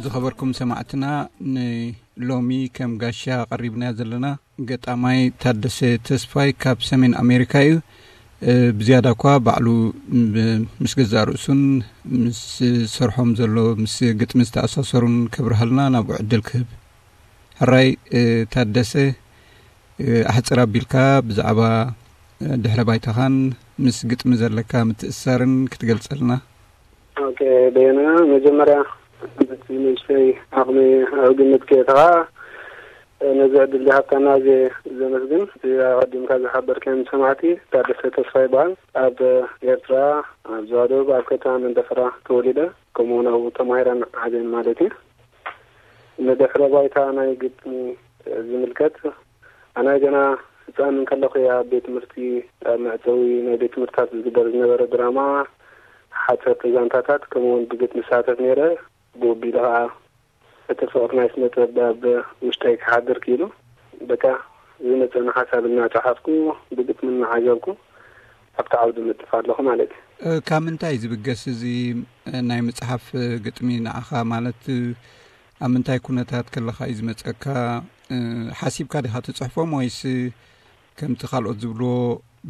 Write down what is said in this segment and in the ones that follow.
ዝኸበርኩም ሰማዕትና፣ ንሎሚ ከም ጋሻ ቀሪብናዮ ዘለና ገጣማይ ታደሰ ተስፋይ ካብ ሰሜን ኣሜሪካ እዩ። እ፣ ብዝያዳ እኳ ባዕሉ ብ-፣ ምስ ገዛእ ርእሱን ምስ ሰርሖም ዘሎ ምስ ግጥሚ ዝተኣሳሰሩን ከብርሃልና ናብኡ ዕድል ክህብ። ሕራይ፣ እ፣ ታደሰ፣ እ፣ ኣሕጽር ኣቢልካ ብዛዕባ፣ እ፣ ድሕረ ባይታኻን ምስ ግጥሚ ዘለካ ምትእስሳርን ክትገልጸልና። ኦኬ፣ በየነ፣ መጀመርያ ነቲ ንእሽተይ ዓቕሚ ኣብ ግምት ከየእተኻ፣ ነዚ ዕድል ዝሃብካና ኣዝየ ዘመስግን። እቲ ኣቐዲምካ ዝሓበርካዮም ሰማዕቲ፣ ታደሰ ተስፋ ይበሃል። ኣብ ኤርትራ፣ ኣብ ዞባ ደቡብ፣ ኣብ ከተማ መንደፈራ ተወሊደ፣ ከምኡውን ኣብኡ ተማሂረን ዓብየን ማለት እዩ። ንድሕረ ባይታ ናይ ግጥሚ ዝምልከት፣ ኣነ ገና ህፃን እንከለኹ እየ ኣብ ቤት ትምህርቲ፣ ኣብ መዕፀዊ ናይ ቤት ትምህርትታት ዝግበር ዝነበረ ድራማ ሓፀርቲ ዛንታታት፣ ከምኡውን ብግጥሚ ዝሳተፍ ነይረ። ብወቢሉ ከዓ እቲ ፍቕሪ ናይ ስነ ጥበብ ኣብ ውሽጠይ ክሓድር ክኢሉ። በቃ ዝመፀኒ ሓሳብ እናፀሓፍኩ፣ ብግጥሚ እናዓዘብኩ ኣብቲ ዓውዲ ምጥፍ ኣለኹ ማለት እዩ። እ፣ ካብ ምንታይ ዝብገስ እዚ፣ እ፣ ናይ ምፅሓፍ፣ እ፣ ግጥሚ ንዓኻ? ማለት፣ እ፣ ኣብ ምንታይ ኩነታት ከለኻ እዩ ዝመፀካ? እ፣ ሓሲብካ ዲኻ ትፅሕፎም ወይስ ከምቲ ካልኦት ዝብልዎ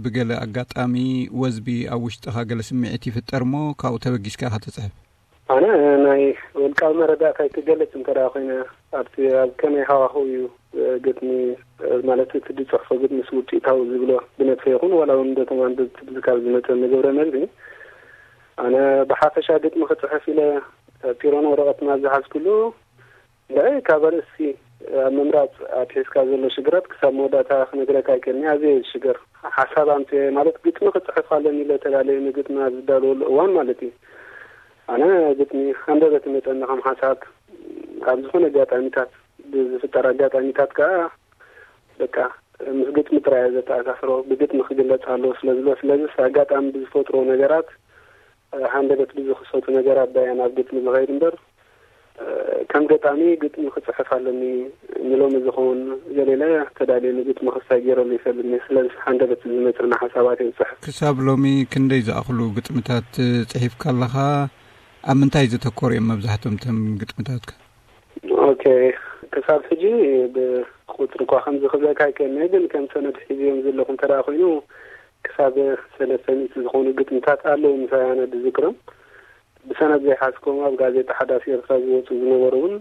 ብገለ ኣጋጣሚ ወዝቢ ኣብ ውሽጥኻ ገለ ስምዒት ይፍጠር እሞ ካብኡ ተበጊስካ ኢኻ ትፅሕፍ? ኣነ ናይ ውልቃዊ መረዳእታይ ክገልጽ እንተ ደኣ ኮይነ፣ ኣብቲ ኣብ ከመይ ሃዋህው እዩ፣ እ፣ ግጥሚ፣ እ፣ ማለት እቲ ዝጽሕፎ ግጥሚ ምስ ውጽኢታዊ ዝብሎ ብነብሰይ ይኹን ዋላ እውን በቶም ኣንበብቲ ብዝካብ ዝመጸኒ ግብረ መልሲ፣ ኣነ ብሓፈሻ ግጥሚ ክጽሕፍ ኢለ፣ እ፣ ፒሮን ወረቐትን ኣብ ዝሓዝኩሉ፣ እንድዒ ካብ ኣርእስቲ ኣብ ምምራጽ ኣትሒዝካ ዘሎ ሽግራት ክሳብ መወዳእታ ክነግረካ ኣይክእልን እየ። ኣዝየ እየ ዝሽገር። ሓሳብ ኣምጽኤ ማለት ግጥሚ ክጽሕፍ ኣለኒ ኢለ ተዳልየ ንግጥሚ ኣብ ዝዳለወሉ እዋን ማለት እዩ። ኣነ ግጥሚ ሃንደበት ይመጸኒ ከም ሓሳብ። ኣብ ዝኾነ ኣጋጣሚታት፣ ብዝፍጠር ኣጋጣሚታት ከኣ በቃ ምስ ግጥሚ ጥራይ እየ ዘተኣሳስሮ። ብግጥሚ ክግለጽ ኣለዎ ስለ ዝብሎ፣ ስለዚስ ኣጋጣሚ ብዝፈጥሮ ነገራት፣ ሃንደበት ብዝኽሰቱ ነገራት ዳያ ናብ ግጥሚ ዝኸይድ እምበር፣ ከም ገጣሚ ግጥሚ ክጽሕፍ ኣለኒ ንሎሚ ዝኸውን ገሌለ ተዳልየ ንግጥሚ ክስታይ ገይረሉ ይፈልጥኒ። ስለዚ ሃንደበት ዝመጽእና ሓሳባት እየ ዝጽሕፍ። ክሳብ ሎሚ ክንደይ ዝኣኽሉ ግጥምታት ጽሒፍካ ኣለኻ? ኣብ ምንታይ ዘተኮሩ እዮም መብዛሕትኦም እቶም ግጥምታትካ? ኦኬ፣ ክሳብ ሕጂ ብቁጽሪ እኳ ከምዚ ክብለካ ኣይክእልን እየ፣ ግን ከም ሰነድ ሒዝዮም ዘለኹ እንተ ደኣ ኮይኑ፣ ክሳብ ሰለስተ ሚእቲ ዝኾኑ ግጥምታት ኣለዉ ምሳይ ኣነ ዝዝክሮም። ብሰነድ ዘይሓዝኮም ኣብ ጋዜጣ ሓዳስ ኤርትራ ዝወጹ ዝነበሩ እውን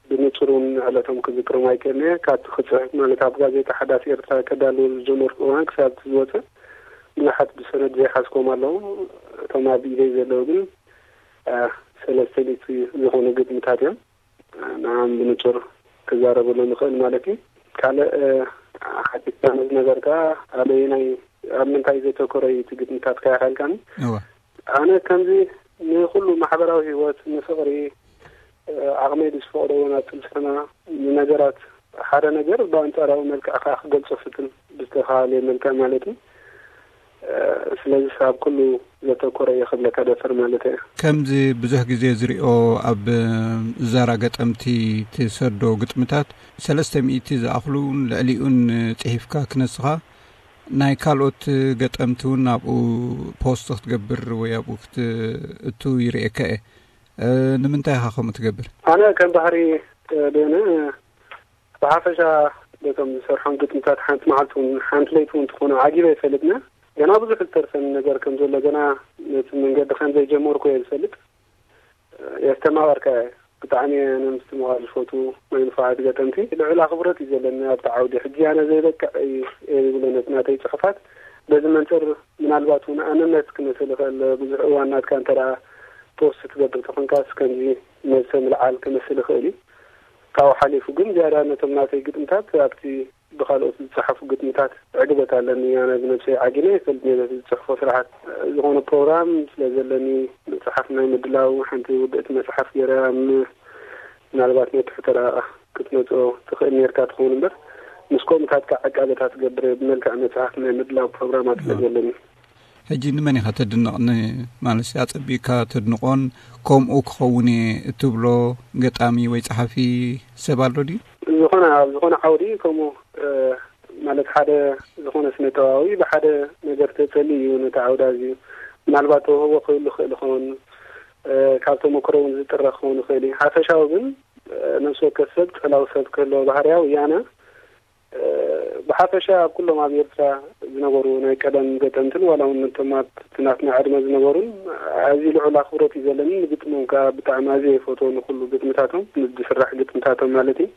ብንጹር እውን ዕለቶም ክዝክሮም ኣይክእልን እየ። ካብቲ ክጽሕፍ ማለት ኣብ ጋዜጣ ሓዳስ ኤርትራ ከዳልዎ ዝጀመርኩ እዋን ክሳብ እቲ ዝወጸ ብዙሓት ብሰነድ ዘይሓዝኮም ኣለዉ። እቶም ኣብ ኢደይ ዘለዉ ግን፣ እ፣ ሰለስተ ሚእቲ ዝኾኑ ግጥምታት እዮም። ንዓም ብንጹር ክዛረበሉ ንኽእል ማለት እዩ። ካልእ፣ እ፣ ሓቲትካ ንዝነበርካ ኣበየናይ፣ ኣብ ምንታይ ዘተኮረ እዩ እቲ ግጥምታትካ ኢኻ ኢልካኒ? እወ። ኣነ ከምዚ ንኹሉ ማሕበራዊ ህይወት፣ ንፍቕሪ፣ እ፣ ዓቕመይ ብዝፈቕዶ እውን ኣብ ፍልስፍና፣ ንነገራት ሓደ ነገር ብኣንጻራዊ መልክዕ ከኣ ክገልጾ ፍትን ብዝተኻእለ መልክዕ ማለት እዩ። እ፣ ስለዚ ኣብ ኩሉ ዘተኮረ እየ ክብለካ ደፍር ማለት እየ። ከምዚ ብዙሕ ግዜ ዝሪኦ ኣብ ዛራ ገጠምቲ ትሰዶ ግጥምታት ሰለስተ ሚእቲ ዝኣኽሉን ልዕሊኡን ጽሒፍካ ክነስኻ ናይ ካልኦት ገጠምቲ እውን ኣብኡ ፖስት ክትገብር ወይ ኣብኡ ክትእቱ ይርእየካ እየ። እ፣ ንምንታይ ኢኻ ከምኡ ትገብር? ኣነ ከም ባህሪ፣ እ፣ ደነ ብሓፈሻ በቶም ዝሰርሖም ግጥምታት ሓንቲ መዓልቲ እውን ሓንቲ ለይቲ እውን ትኾኑ ዓጊበ ኣይፈልጥን። ገና ብዙሕ ዝተርፈኒ ነገር ከም ዘሎ፣ ገና ነቲ መንገዲ ከም ዘይጀመርኩ እየ ዝፈልጥ። የስተማቐርካ እየ። ብጣዕሚ እየ ነምስትምቓር ዝፈቱ ናይ ንፉዓት ገጠምቲ ልዑል ኣኽብሮት እዩ ዘለኒ ኣብቲ ዓውዲ። ሕጂ ኣነ ዘይበቅዕ እዩ እየ ዝብሎ ነቲ ናተይ ጽሑፋት። በዚ መንጽር ምናልባት እውን ኣነነት ክመስል ይኽእል። ብዙሕ እዋን ናትካ እንተ ደኣ ፖስት ትገብር ተኾንካስ ከምዚ ነብሰ ምልዓል ክመስል ይኽእል እዩ። ካብኡ ሓሊፉ ግን ዝያዳ ነቶም ናተይ ግጥምታት ኣብቲ ብኻልኦት ዝጸሓፉ ግጥምታት ዕግበት ኣለኒ። ኣነ ብነብሰይ ዓጊነ ይፈልጥ ነይረ እቲ ዝጽሕፎ ስራሓት። ዝኾነ ፕሮግራም ስለ ዘለኒ መጽሓፍ ናይ ምድላው ሓንቲ ውድእቲ መጽሓፍ ገይረ ኣብ ም-፣ ምናልባት ነቲ ሕቶ ደኣ ክትመጽኦ ትኽእል ነርካ ትኸውን እምበር፣ ምስ ኮምታት ከዓ ዕቃበታት ገብር ብመልክዕ መጽሓፍ ናይ ምድላው ፕሮግራማት ስለ ዘለኒ። ሕጂ ንመን ኢኻ ተድንቕ? ንማለትሲ ኣጸቢቕካ ተድንቖን ከምኡ ክኸውን እየ እትብሎ ገጣሚ ወይ ጸሓፊ ሰብ ኣሎ ድዩ? ዝኾነ ኣብ ዝኾነ ዓውዲ ከምኡ ማለት ሓደ ዝኾነ ስነ ጥበባዊ ብሓደ ነገር ተጸሊ እዩ ነቲ ዓውዲ ኣዝዩ ምናልባት ተውህቦ ክህሉ ክእል ይኸውን። ካብ ተመክሮ እውን ዝጥረ ክኸውን ይኽእል እዩ። ሓፈሻዊ ግን ነፍሲ ወከፍ ሰብ ጸላዊ ሰብ ክህልዎ ባህርያዊ እያነ ብሓፈሻ ኣብ ኩሎም ኣብ ኤርትራ ዝነበሩ ናይ ቀደም ገጠምትን ዋላ እውን ነቶም ኣብ ናትና ዕድመ ዝነበሩን ኣዝዩ ልዑል ኣኽብሮት እዩ ዘለኒ። ንግጥሞም ከዓ ብጣዕሚ ኣዝየ ይፈትዎ፣ ንኩሉ ግጥምታቶም፣ ንዝስራሕ ግጥምታቶም ማለት እዩ።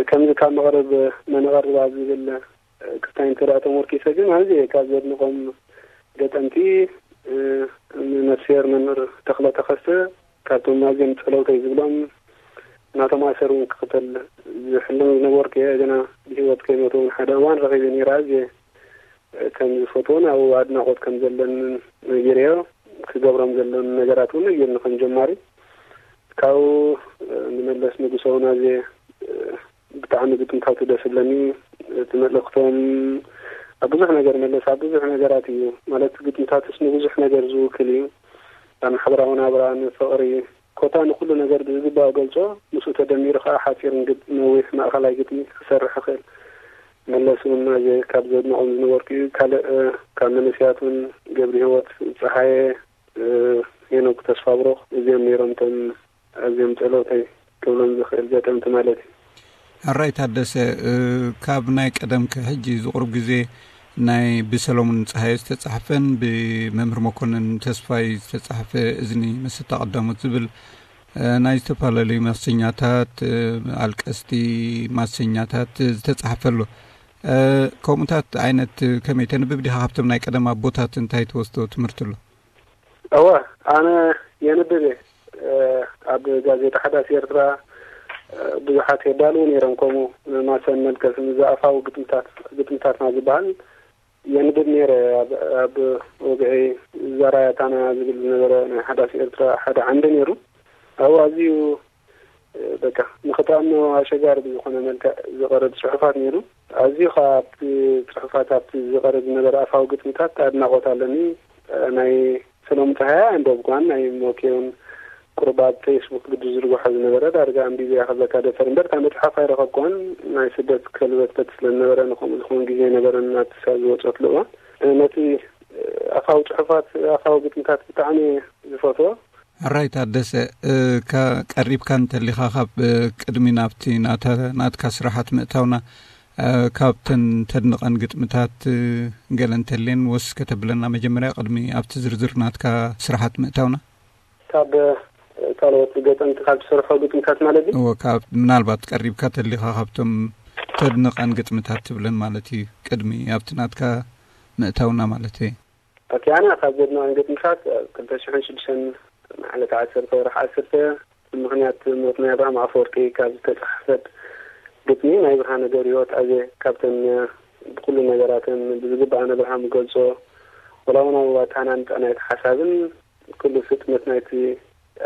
ከምዚ ካብ መቕረብ መነቐርብ ኣብ ዝብል ክስታይ እንተ ደኣ ተመርኪሰ ግን ኣዝየ ካብ ዘድንቖም ገጠምቲ ነፍስሄር መምህር ተኽለ ተኸስተ ካብቶም ኣዝዮም ጸለውተይ ዝብሎም ናቶም ኣሰር እውን ክኽተል ዝሕልም ዝነበርኩ እየ። ገና ብህይወት ከይሞተ እውን ሓደ እዋን ረኺበ ነይረ። ኣዝየ ከም ዝፈትዎን ኣብኡ ኣድናቖት ከም ዘለንን ነጊረዮ። ክገብሮም ዘለኒ ነገራት እውን ነጊርኒ ከም ጀማሪ። ካብኡ ንመለስ ንጉሰ እውን ኣዝየ ብጣዕሚ ግጥምታቱ ደስ ዝብለኒ። እቲ መልእኽቶም ኣብ ብዙሕ ነገር መለስ ኣብ ብዙሕ ነገራት እዩ። ማለት ግጥምታቱስ ንብዙሕ ነገር ዝውክል እዩ። ኣብ ማሕበራዊ ናብራ፣ ንፍቕሪ፣ ኮታ ንኩሉ ነገር ብዝግባእ ገልጾ። ምስኡ ተደሚሩ ከዓ ሓጺር ግጥሚ፣ ነዊሕ ማእኸላይ ግጥሚ ክሰርሕ ይኽእል። መለስ እውን ኣዝየ ካብ ዘድንቖም ዝነበርኩ እዩ። ካልእ ካብ መንእሰያት እውን ገብረ ህይወት ጸሃየ፣ ሄኖክ ተስፋብሩኽ፣ እዚኦም ነይሮም እቶም ኣዝዮም ጸለውተይ ክብሎም ዝኽእል ገጠምቲ ማለት እዩ። ሕራይ ታደሰ፣ ካብ ናይ ቀደም ክሕጂ ዝቕሩብ ግዜ ናይ ብሰሎሙን ጸሃየ ዝተጻሕፈን ብመምህር መኮንን ተስፋይ ዝተጻሕፈ እዝኒ መሰታ ቀዳሞት ዝብል ናይ ዝተፈላለዩ ማሰኛታት፣ ኣልቀስቲ ማሰኛታት ዝተጻሕፈ ኣሎ። ከምኡታት ዓይነት ከመይ ተንብብ ዲኻ? ካብቶም ናይ ቀደም ኣቦታት እንታይ ትወስዶ ትምህርቲ ኣሎ? እወ፣ ኣነ የንብብ እየ። ኣብ ጋዜጣ ሓዳስ ኤርትራ ብዙሓት የዳልዉ ነይሮም፣ ከምኡ ማሰን መልቀስን ዝኣፋዊ ግጥምታት፣ ግጥምታትና ዝበሃል የንብብ ነይረ። ኣብ፣ ኣብ ወግዒ ዛራያታና ዝብል ዝነበረ ናይ ሓዳስ ኤርትራ ሓደ ዓንዲ ነይሩ። ኣብኡ ኣዝዩ በቃ ንኽትኣምኖ ኣሸጋሪ ብዝኾነ መልክዕ ዝቐርብ ጽሑፋት ነይሩ። ኣዝዩ ኸኣ ኣብቲ ጽሑፋት፣ ኣብቲ ዝቐርብ ዝነበረ ኣፋዊ ግጥምታት ኣድናቖት ኣለኒ። ናይ ሰሎሙን ጸሃየ ኣንበብኳን፣ ናይ ሞኬውን ቁሩብ ኣብ ፌስቡክ ግዲ ዝርግሖ ዝነበረ ዳርጋ ኣንቢበያ ክብለካ ደፈር እምበር፣ እታ መጽሓፍ ኣይረኸብኳን። ናይ ስደት ከልበትበት ስለ ዝነበረ ንኸምኡ ዝኸውን ግዜ ኣይነበረን ኣብቲ ሳብ ዝወጸትሉ እዋን። ነቲ ኣፋዊ ጽሑፋት፣ ኣፋዊ ግጥምታት ብጣዕሚ እየ ዝፈትዎ። ሕራይ ታደሰ፣ እ፣ ከ-፣ ቀሪብካ እንተሊኻ ካብ፣ እ፣ ቅድሚ ናብቲ ናተ-፣ ናትካ ስራሓት ምእታውና፣ እ፣ ካብተን ተድንቐን ግጥምታት፣ እ፣ ገለ እንተልየን ወስ ከተብለና መጀመርያ ቅድሚ ኣብቲ ዝርዝር ናትካ ስራሓት ምእታውና? ካብ፣ እ፣ ካልኦት ገጠምቲ ካብ ትሰርሖ ግጥምታት ማለት ድዩ? እወ፣ ካብ ምናልባት ቀሪብካ ተሊኻ ካብቶም ተድንቐን ግጥምታት ትብለን ማለት እዩ፣ ቅድሚ ኣብቲ ናትካ ምእታውና ማለት እየ። ኦኬ፣ ኣነ ካብ ዘድንቐን ግጥምታት፣ ኣብ ክልተ ሽሕን ሽዱሽተን መዓልቲ ዓሰርተ ወርሒ ዓሰርተ፣ ብምኽንያት ሞት ናይ ኣብርሃም ኣፈወርቂ ካብ ዝተጻሕፈት ግጥሚ ናይ ብርሃነ ገብረህይወት ኣዜ ካብተን ብኩሉ ነገራተን ብዝግባእ ንኣብርሃም እገልጾ፣ ወላ እውን ኣብ ኣተሃናንጻ ናይቲ ሓሳብን ኩሉ ፍጥነት ናይቲ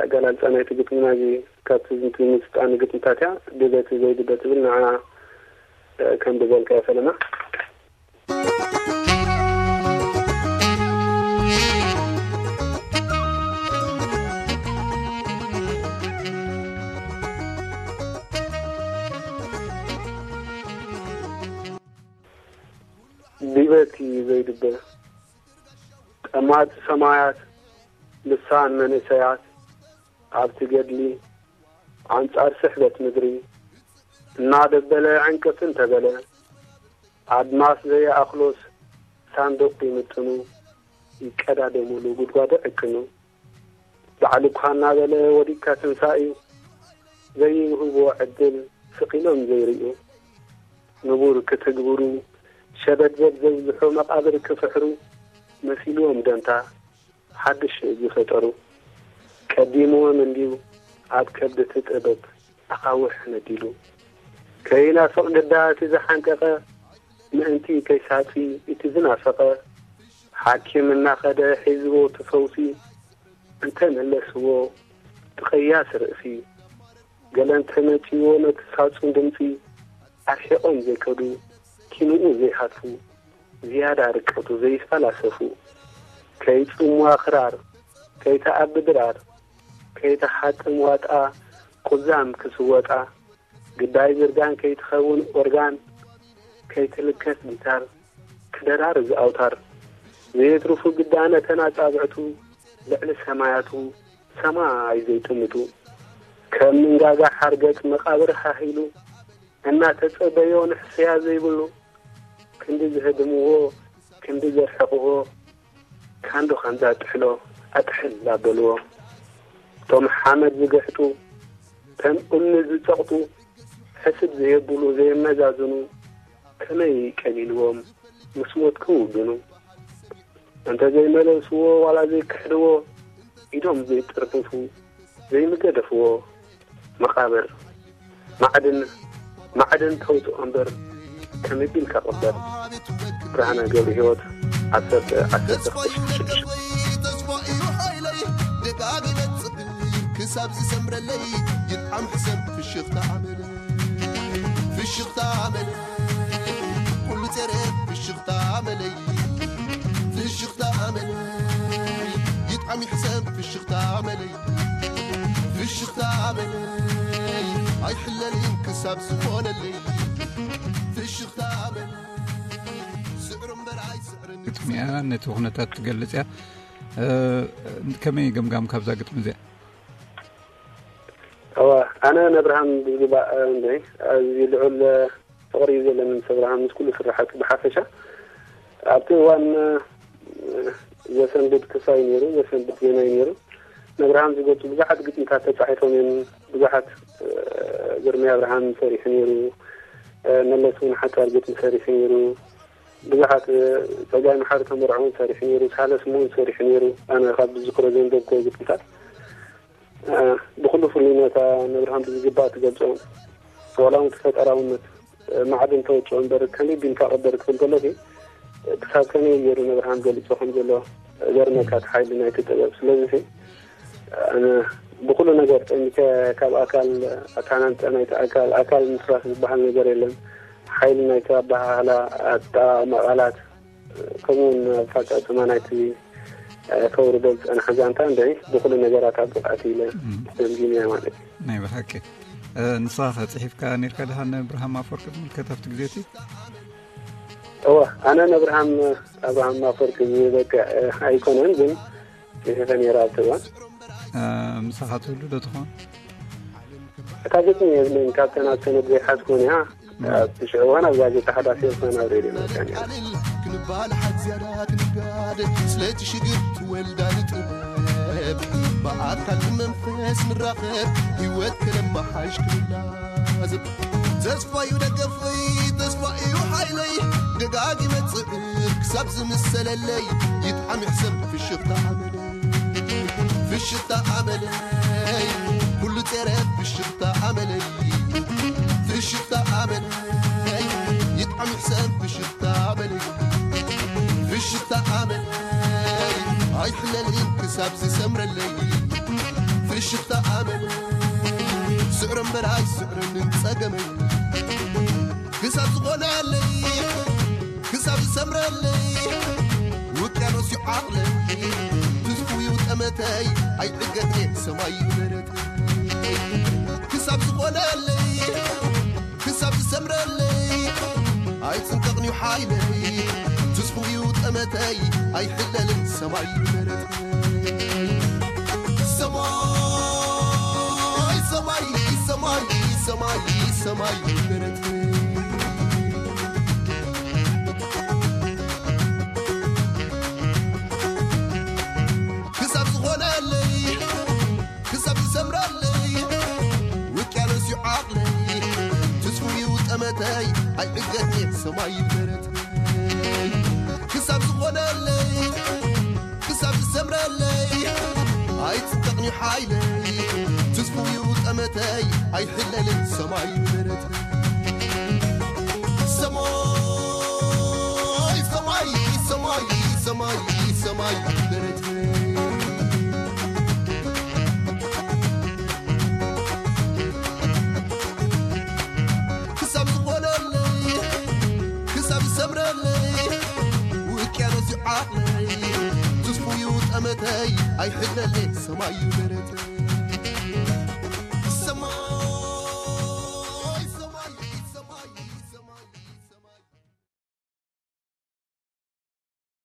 ኣገላልጻ ናይቲ ግጥሚ ናይዚ ካብቲ ዝምስጣ ንግጥምታት እያ። ድበቲ ዘይድበ ትብል ንዓ ከም ብዘልካ እየ ፈለማ። ድበቲ ዘይድበ ጠማቲ ሰማያት ልሳን መንእሰያት ኣብቲ ገድሊ ኣንጻር ስሕበት ምድሪ እናደበለ ዕንቅፍ እንተበለ ኣድማስ ዘየኣኽሎስ ሳንዱቕ ይምጥኑ ይቀዳደሙሉ ጉድጓድ ዕቅኑ። ባዕሉ እኳ እናበለ ወዲቅካ ትንሳእዩ ዘይውህብዎ ዕድል ስቕ ኢሎም ዘይርእዩ። ንቡር ክትግብሩ ሸበድበድ ዘብዝሑ መቓብር ክፍሕሩ መሲልዎም ደንታ ሓድሽ ዝፈጠሩ። ቀዲምዎም እንድዩ ኣብ ከብዲ እቲ ጥበብ ኣኻውሕ ነዲሉ። ከይናፍቕ ግዳ እቲ ዝሓንቀቐ ምእንቲ ከይሳጺ እቲ ዝናፈቐ ሓኪም እናኸደ ሒዝዎ እቲ ፈውሲ እንተ መለስዎ እቲ ቐያስ ርእሲ ገለ እንተ መጺዎ ነቲ ሳጹን ድምጺ ኣርሒቖም ዘይከዱ፣ ኪንኡ ዘይሃትፉ፣ ዝያዳ ርቀቱ ዘይፈላሰፉ፣ ከይጽምዋ ክራር፣ ከይተኣቢ ድራር፣ ከይተሓጥም ዋጣ፣ ቁዛም ክስወጣ፣ ግዳይ ዝርጋን ከይትኸውን ኦርጋን፣ ከይትልከፍ ጊታር፣ ክደራርዝ ኣውታር፣ ዘየትርፉ ግዳ ነተን ኣጻብዕቱ፣ ልዕሊ ሰማያቱ ሰማይ ዘይጥምቱ፣ ከም ምንጋጋ ሓርገጽ መቓብር ሃሂሉ፣ እናተጸበዮ ንሕስያ ዘይብሉ፣ ክንዲ ዝህድምዎ፣ ክንዲ ዘርሕቕዎ፣ ካንዶ ካንዛ ጥሕሎ ኣጥሕል ኣበልዎ። እቶም ሓመድ ዝግሕጡ፣ ከም እምኒ ዝጸቕጡ፣ ሕስድ ዘየብሉ ዘየመዛዝኑ፣ ከመይ ቀሊልዎም ምስ ሞት ክውግኑ። እንተ ዘይመለስዎ ዋላ ዘይክሕድዎ፣ ኢዶም ዘይጥርፍፉ ዘይምገደፍዎ መቓብር ማዕድን፣ ማዕድን ተውፅኦ እምበር ከመይ ቢልካ ቅበር። ብርሃነ ገብረ ህይወት ዓሰርተ ዓሰርተ ተስፋ እዩ ደገፈይ፣ ተስፋ እዩ ሓይለይ፣ ደጋጊመ ጽብር ክሳብ ዝሰምረለይ፣ ይጥዓም ሕሰም ፍሽኽታ ኣመለይ፣ ፍሽኽታ ኣመለይ፣ ኩሉ ጸረ ፍሽኽታ ኣመለይ፣ ፍሽኽታ ኣመለይ፣ ይጥዓም ይሕሰም ፍሽኽታ ኣመለይ፣ ፍሽኽታ ኣመለይ፣ ኣይሕለልን ክሳብ ዝኾነለይ፣ ፍሽኽታ ኣመለይ፣ ስዕሩ እምበር ኣይስዕርን ግጥሚ እያ፣ ነቲ ኩነታት ትገልጽ እያ። እ፣ ከመይ ገምጋም ካብዛ ግጥሚ እዚኣ? እዋ፣ ኣነ ነብርሃም ብዝግባእ፣ እ፣ እንደ፣ ኣዝዩ ልዑል፣ እ፣ ፍቕሪ እዩ ዘለኒ ምስ ኣብርሃም፣ ምስ ኩሉ ስራሓቱ ብሓፈሻ። ኣብቲ እዋን፣ እ፣ ዘሰንብድ ክሳይ ነይሩ፣ ዘሰንብድ ዜናይ ነይሩ። ነብርሃም ዝገልጹ ብዙሓት ግጥምታት ተጻሒፎም እዮም። ብዙሓት፣ እ፣ ግርማይ ኣብርሃም ሰሪሑ ነይሩ። እ፣ መለስ እውን ሓጻር ግጥሚ ሰሪሑ ነይሩ። ብዙሓት፣ እ፣ ጸጋይ መሓሪ ተመርዖ እውን ሰሪሑ ነይሩ። ሳህለ ስምኦን ሰሪሑ ነይሩ። ኣነ ካብ ዝዝክሮ ዘንበብክዎ ግጥምታት፣ እ፣ ብኹሉ ፍሉይነታ ነብርሃም ብዝግባእ ትገልጾ። ዋላ እውን እቲ ፈጠራውነት፣ እ፣ ማዕድን ተወጽኦ እምበር ከመይ ቢልካ ቅበር ክብል ከሎ፣ እ፣ ክሳብ ከመይ ገይሩ ነብርሃም ገሊጾ ከም ዘሎ ዘርመካ እቲ ሓይሊ ናይቲ ጥበብ። ስለዚ፣ እ፣ ኣነ ብኹሉ ነገር ጠሚተ ካብ ኣካል ኣታናንጠ ናይቲ ኣካል፣ ኣካል ምስራፍ ዝበሃል ነገር የለን። ሓይሊ ናይቲ ኣበሃህላ፣ ኣጠቓቕማ ቃላት፣ ከምኡ እውን ኣፈጻጽማ ናይቲ፣ እ፣ ከውርዶ ዝጸንሐ ዛንታ እንድዒ ብኹሉ ነገራት ኣብ ብቕዓት ኢለ እም። ገምጊመያ ማለት እዩ። ናይ ብሓቂ። እ፣ ንስኻ ከ ጽሒፍካ ነይርካ ደሓን ንኣብርሃም ኣፈወርቂ ዝምልከት ኣብቲ ግዜ እቲ? እወ፣ ኣነ ንኣብርሃም፣ ኣብርሃም ኣፈወርቂ ዝበቅዕ፣ እ፣ ኣይኮነን፣ ግን ጽሒፈ ነይረ ኣብቲ እዋን። እ፣ ምሳኻ ትህሉ ዶ ትኾን? እታ ግጥሚ የብለይን፣ ካብተን ኣብ ሰነድ ዘይሓዝኩን እያ። ኣብ ትሽዑ እዋን ኣብ ጋዜጣ ሓዳስ ኤርትራ ናብ ሬድዮ መጺኣ ነይራ። ክንባል ሓድ ዝያዳ ክንጋደ ስለቲ ሽግር ትወልዳ ንጥበብ ብኣካል ብመንፈስ ንራኸብ ህይወት ከነመሓሽ ክንላዘብ ተስፋ እዩ ደገፈይ ተስፋ እዩ ሓይለይ ደጋጊመ ጽዕር ክሳብ ዝምሰለለይ ይጥዓም ይሕሰም ፍሽኽታ ኣመለይ ፍሽኽታ ኣመለይ ኩሉ ጸረ ፍሽኽታ ኣመለይ ፍሽኽታ ኣመለይ ይጥዓም ይሕሰም ፍሽኽታ ኣመለይ ፍሽኽታ ኣመለይ ኣይሕለልን ክሳብ ዝሰምረለይ ፍሽኽታ ኣመለይ ስዕሮ እምበር ኣይስዕርን ጸገመይ ክሳብ ዝኾነለይ ክሳብ ዝሰምረለይ ውቅያኖስ እዩ ዓቕለይ ትዝፉ እዩ ጠመተይ ኣይዕገትኔ ሰማይ እዩ ደረተይ ክሳብ ዝኾነለይ ክሳብ ዝሰምረለይ ኣይጽንቀቕን እዩ ሓይለይ ትዝፉ እዩ ጠመተይ ኣይሕለልን ሰማይ እዩ ደረተይ ሰማይ ሰማይ ሰማይ ሰማይ ሰማይ ደረተይ ክሳብ ዝኾነለይ ክሳብ ዝሰምረለይ ውቅያኖስ እዩ ዓቕለይ ትዝፉ እዩ ጠመተይ ኣይዕገትኔ ሰማይ እዩ ደረተይ ክሳብ ዝኾነለይ ክሳብ ዝሰምረለይ ኣይጽንቀቕን እዩ ሓይለይ ትዝፉ እዩ ጠመተይ ኣይሕለልን ሰማይ እዩ ደረተይ ሰማይ ሰማይ ሰማይ ሰማይ ሰማይ ደረተይ ክሳብ ዝኾነ ውቅያኖስ እዩ ዓቕለይ፣ ትስፉ እዩ ጠመተይ፣ ኣይሕለለይ ሰማይ እዩ ደረተይ።